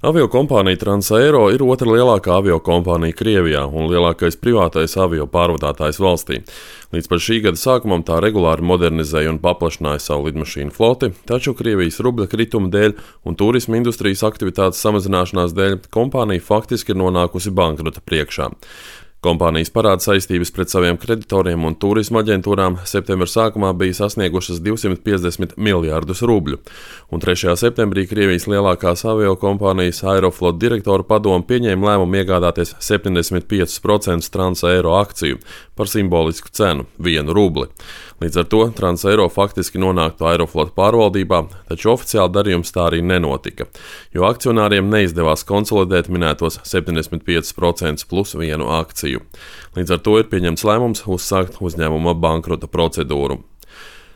Aviokompānija Transaero ir otra lielākā aviokompānija Krievijā un lielākais privātais avio pārvadātājs valstī. Līdz pat šī gada sākumam tā regulāri modernizēja un paplašināja savu lidmašīnu floti, taču Krievijas rubļa krituma dēļ un turisma industrijas aktivitātes samazināšanās dēļ kompānija faktiski ir nonākusi bankrota priekšā. Kompānijas parāda saistības pret saviem kreditoriem un turisma aģentūrām septembra sākumā bija sasniegušas 250 miljārdus rubļu, un 3. septembrī Krievijas lielākās aviokompānijas Aeroflot direktoru padome pieņēma lēmumu iegādāties 75% Transaero akciju par simbolisku cenu - 1 rubli. Līdz ar to Transaero faktiski nonāktu Aeroflot pārvaldībā, taču oficiāli darījums tā arī nenotika, jo akcionāriem neizdevās konsolidēt minētos 75% plus 1 akciju. Līdz ar to ir pieņemts lēmums uzsākt uzņēmuma bankrota procedūru.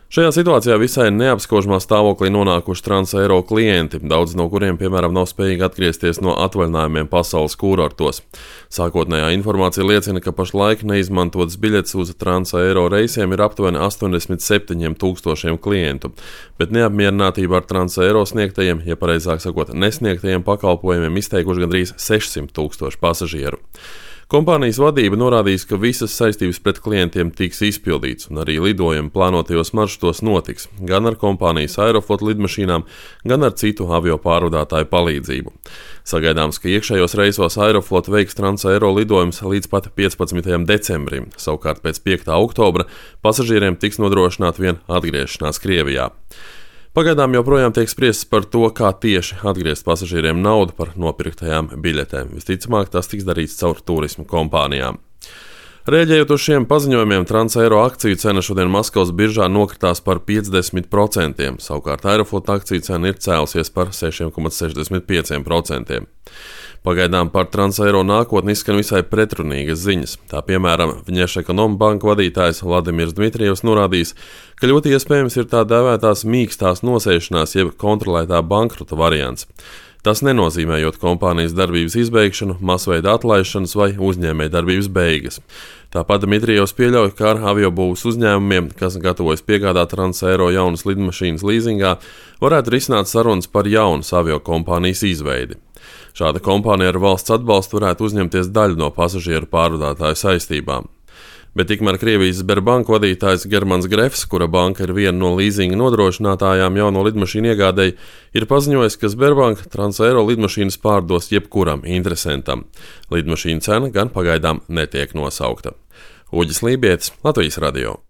Šajā situācijā visai neapskaužamā stāvoklī nonākuši Transaero klienti, daudz no kuriem, piemēram, nav spējīgi atgriezties no atvaļinājumiem pasaules kūrortos. Sākotnējā informācija liecina, ka pašlaik neizmantotas biļetes uz Transaero reisiem ir aptuveni 87 000 klientu, bet neapmierinātība ar Transaero sniegtajiem, ja pareizāk sakot, nesniegtajiem pakalpojumiem izteikuši gandrīz 600 000 pasažieru. Kompānijas vadība norādījis, ka visas saistības pret klientiem tiks izpildīts, un arī lidojumi plānotajos maršrutos notiks, gan ar kompānijas Aeroflot lidmašīnām, gan ar citu avio pārvadātāju palīdzību. Sagaidāms, ka iekšējos reisos Aeroflot veiks Transaero lidojumus līdz pat 15. decembrim, savukārt pēc 5. oktobra pasažieriem tiks nodrošināta vien atgriešanās Krievijā. Pagaidām joprojām tiek spriests par to, kā tieši atgriezt pasažieriem naudu par nopirktajām biļetēm. Visticamāk, tas tiks darīts caur turisma kompānijām. Rēģējot uz šiem paziņojumiem, Transaero akciju cena šodien Maskavas biržā nokritās par 50%, savukārt Aeroflot akciju cena ir cēlusies par 6,65%. Pagaidām par Transaero nākotni izskan visai pretrunīgas ziņas. Tā piemēram, Vņešekonombanka vadītājs Vladimirs Dmitrijevs norādījis, ka ļoti iespējams ir tā dēvētās mīkstās nosēšanās jeb kontrolētā bankrota variants. Tas nenozīmējot kompānijas darbības izbeigšanu, masveida atlaišanas vai uzņēmējdarbības beigas. Tāpat Dmitrijevs pieļauj, ka ar aviobūvas uzņēmumiem, kas gatavojas piegādāt Transaero jaunas lidmašīnas līzingā, varētu risināt sarunas par jaunas aviokompānijas izveidi. Šāda kompānija ar valsts atbalstu varētu uzņemties daļu no pasažieru pārvadātāju saistībām. Bet tikmēr Krievijas Sberbank vadītājs Germans Grefs, kura banka ir viena no līzinga nodrošinātājām jauno lidmašīnu iegādēji, ir paziņojis, ka Sberbank Transaero lidmašīnas pārdos jebkuram interesentam. Lidmašīnu cena gan pagaidām netiek nosaukta. Uģis Lībietis, Latvijas radio.